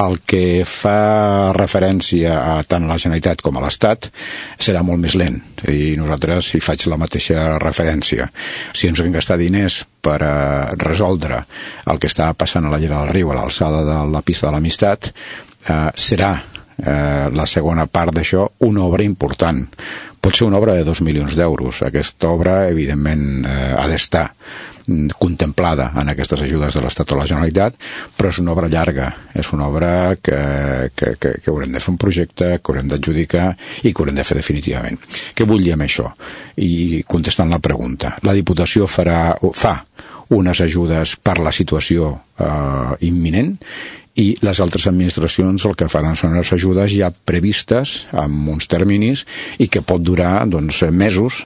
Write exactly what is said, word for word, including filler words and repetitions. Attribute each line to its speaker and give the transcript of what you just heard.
Speaker 1: El que fa referència a tant la Generalitat com a l'Estat serà molt més lent, i nosaltres hi faig la mateixa referència. Si ens hem gastat diners per a resoldre el que està passant a la Llera del Riu, a l'alçada de la pista de l'Amistat, eh, serà eh, la segona part d'això una obra important. Pot ser una obra de dos milions d'euros. Aquesta obra, evidentment, eh, ha d'estar contemplada en aquestes ajudes de l'Estat o la Generalitat, però és una obra llarga, és una obra que, que, que, que haurem de fer un projecte, que haurem d'adjudicar i que haurem de fer definitivament. Què vull dir amb això? I contestant la pregunta, la Diputació farà, fa unes ajudes per la situació eh, imminent, i les altres administracions el que faran són les ajudes ja previstes amb uns terminis i que pot durar doncs, mesos